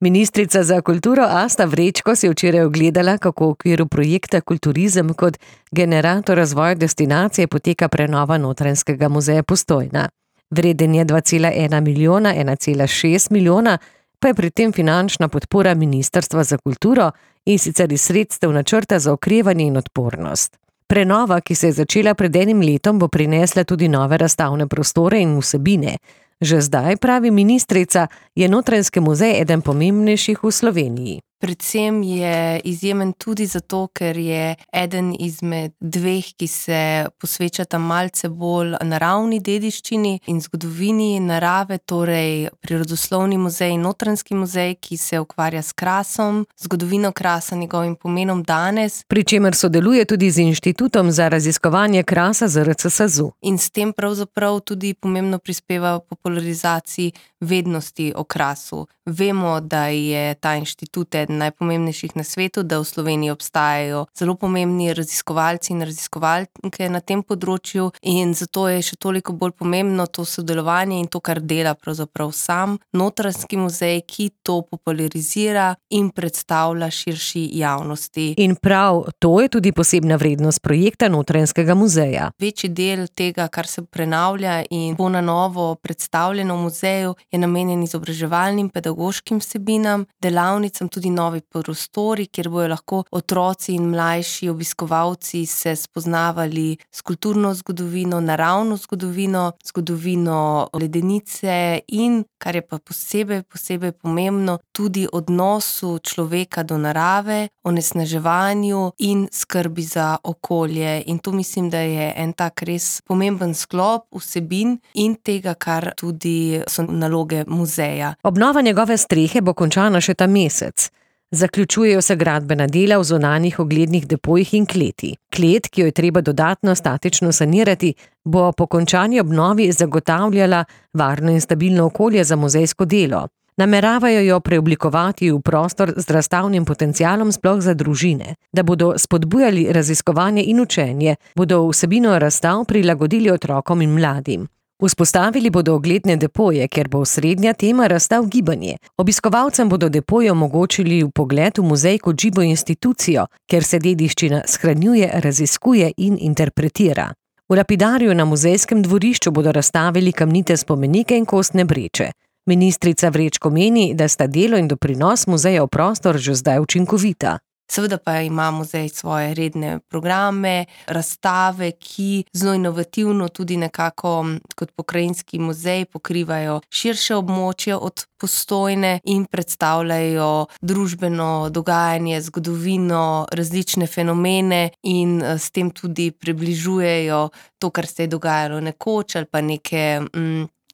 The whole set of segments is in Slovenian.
Ministrica za kulturo Asta Vrečko si je včeraj ogledala, kako v okviru projekta Kulturizem kot generator razvoja destinacije poteka prenova Notranjskega muzeja Postojna. Vreden je 2,1 milijona, 1,6 milijona, pa je pri tem finančna podpora Ministrstva za kulturo in sicer iz sredstev načrta za okrevanje in odpornost. Prenova, ki se je začela pred enim letom, bo prinesla tudi nove razstavne prostore in vsebine. Že zdaj, pravi ministrica, je Notranjski muzej eden pomembnejših v Sloveniji. Predvsem je izjemen tudi zato, ker je eden izmed dveh, ki se posvečata malce bolj naravni dediščini in zgodovini narave, torej Prirodoslovni muzej in Notranjski muzej, ki se ukvarja s krasom, zgodovino krasa, njegovim pomenom danes. Pri čemer sodeluje tudi z Inštitutom za raziskovanje krasa ZRC SAZU. In s tem pravzaprav tudi pomembno prispeva popularizaciji vednosti o krasu. Vemo, da je ta inštitut eden najpomembnejših na svetu, da v Sloveniji obstajajo zelo pomembni raziskovalci in raziskovalke na tem področju in zato je še toliko bolj pomembno to sodelovanje in to, kar dela pravzaprav sam Notranjski muzej, ki to popularizira in predstavlja širši javnosti. In prav to je tudi posebna vrednost projekta Notranjskega muzeja. Večji del tega, kar se prenavlja in bo na novo predstavljeno v muzeju, je namenjen izobraževalnim, pedagoškim vsebinam, delavnicam, tudi novi prostori, kjer bojo lahko otroci in mlajši obiskovalci se spoznavali s kulturno zgodovino, naravno zgodovino, zgodovino ledenice in, kar je pa posebej pomembno, tudi odnosu človeka do narave, onesnaževanju in skrbi za okolje. In to mislim, da je en tak res pomemben sklop vsebin in tega, kar tudi so naloge muzeja. Obnova njegove strehe bo končana še ta mesec. Zaključujejo se gradbena dela v zunanjih oglednih depojih in kleti. Klet, ki jo je treba dodatno statično sanirati, bo po končani obnovi zagotavljala varno in stabilno okolje za muzejsko delo. Nameravajo jo preoblikovati v prostor z razstavnim potencialom sploh za družine. Da bodo spodbujali raziskovanje in učenje, bodo vsebino razstav prilagodili otrokom in mladim. Vzpostavili bodo ogledne depoje, kjer bo osrednja tema razstav gibanje. Obiskovalcem bodo depoje omogočili vpogled v muzej kot živo institucijo, kjer se dediščina shranjuje, raziskuje in interpretira. V lapidariju na muzejskem dvorišču bodo razstavili kamnite spomenike in kostne breče. Ministrica Vrečko meni, da sta delo in doprinos muzeja v prostor že zdaj učinkovita. Seveda pa ima muzej svoje redne programe, razstave, ki zelo inovativno tudi nekako kot pokrajinski muzej pokrivajo širše območje od Postojne in predstavljajo družbeno dogajanje, zgodovino, različne fenomene in s tem tudi približujejo to, kar se je dogajalo nekoč ali pa neke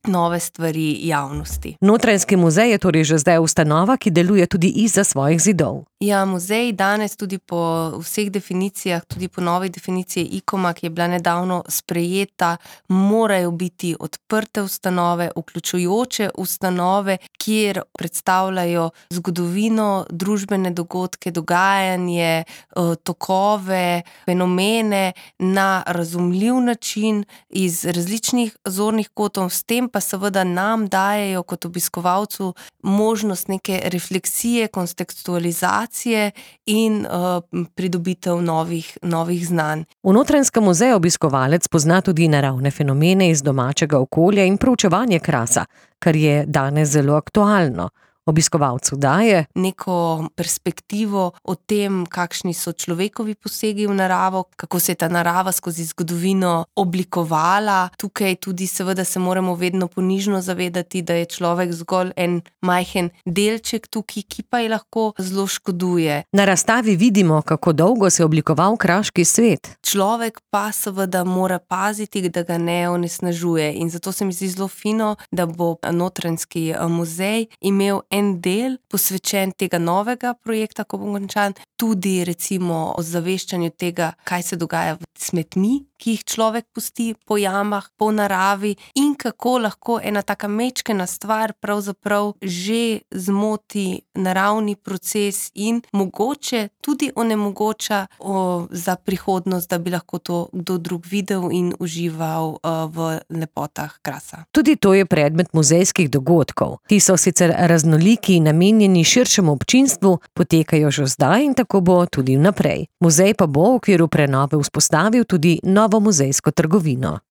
nove stvari javnosti. Notranjski muzej je torej že zdaj ustanova, ki deluje tudi izza svojih zidov. Ja, muzej danes tudi po vseh definicijah, tudi po novi definiciji ICOM-a, ki je bila nedavno sprejeta, morajo biti odprte ustanove, vključujoče ustanove, kjer predstavljajo zgodovino, družbene dogodke, dogajanje, tokove, fenomene na razumljiv način iz različnih zornih kotov, s tem pa seveda nam dajejo kot obiskovalcu možnost neke refleksije, kontekstualizacije in pridobitev novih znanj. V Notranjskem muzeju obiskovalec pozna tudi naravne fenomene iz domačega okolja in proučevanje krasa, kar je danes zelo aktualno. Obiskovalcu daje neko perspektivo o tem, kakšni so človekovi posegi v naravo, kako se je ta narava skozi zgodovino oblikovala. Tukaj tudi seveda se moramo vedno ponižno zavedati, da je človek zgolj en majhen delček tukaj, ki pa je lahko zelo škoduje. Na razstavi vidimo, kako dolgo se je oblikoval kraški svet. Človek pa seveda mora paziti, da ga ne onesnažuje in zato se mi zdi zelo fino, da bo Notranjski muzej imel en del posvečen tega novega projekta, ko bo končan, tudi recimo o zaveščanju tega, kaj se dogaja s smetmi, ki jih človek pusti po jamah, po naravi in kako lahko ena taka mečkena stvar pravzaprav že zmoti naravni proces in mogoče tudi onemogoča za prihodnost, da bi lahko to kdo drug videl in užival v lepotah krasa. Tudi to je predmet muzejskih dogodkov, ki so sicer raznoliki raznolikimi, namenjeni širšemu občinstvu, potekajo že zdaj in tako bo tudi vnaprej. Muzej pa bo v okviru prenove vzpostavil tudi novo muzejsko trgovino.